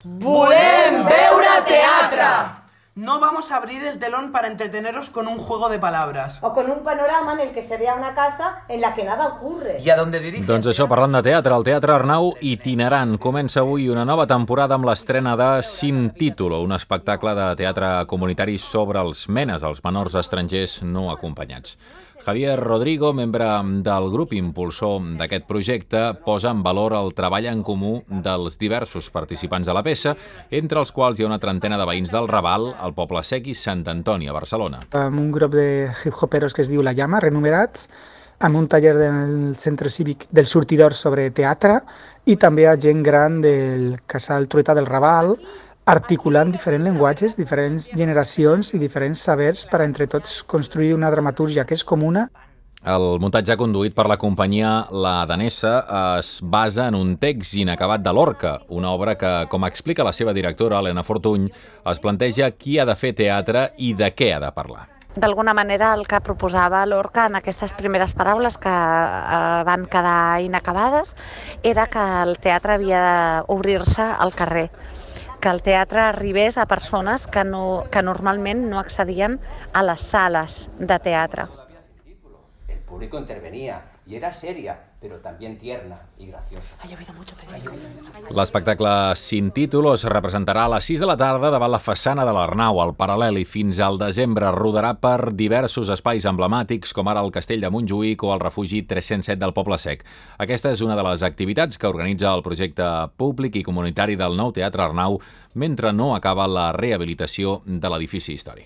¡Volem veure teatre! No vamos a abrir el telón para entreteneros con un juego de palabras. O con un panorama en el que se vea una casa en la que nada ocurre. ¿Y a dónde dirige? Doncs això, parlant de teatre, el Teatre Arnau itinerant. Comença avui una nova temporada amb l'estrena de Sin Título, un espectacle de teatre comunitari sobre els menes, els menors estrangers no acompanyats. Javier Rodrigo, membre del grup impulsor d'aquest projecte, posa en valor el treball en comú dels diversos participants de la peça, entre els quals hi ha una trentena de veïns del Raval, al Poble Sec i Sant Antoni, a Barcelona. Amb un grup de hip-hoperos que es diu La Llama, renumerats, amb un taller del Centre Cívic del Sortidor sobre teatre i també a gent gran del Casal Trueta del Raval, articulant diferents llenguatges, diferents generacions i diferents sabers per a entre tots construir una dramatúrgia que és comuna. El muntatge conduït per la companyia La Danesa es basa en un text inacabat de Lorca, una obra que, com explica la seva directora, Helena Fortuny, es planteja qui ha de fer teatre i de què ha de parlar. D'alguna manera el que proposava Lorca en aquestes primeres paraules que van quedar inacabades era que el teatre havia d'obrir-se al carrer, que el teatre arribés a persones que normalment no accedien a les sales de teatre. El público intervenía y era seria, pero también tierna y graciosa. L'espectacle Sin Título es representarà a les 6 de la tarda davant la façana de l'Arnau, al Paral·lel, i fins al desembre rodarà per diversos espais emblemàtics, com ara el Castell de Montjuïc o el refugi 307 del Poble Sec. Aquesta és una de les activitats que organitza el projecte públic i comunitari del nou Teatre Arnau mentre no acaba la rehabilitació de l'edifici històric.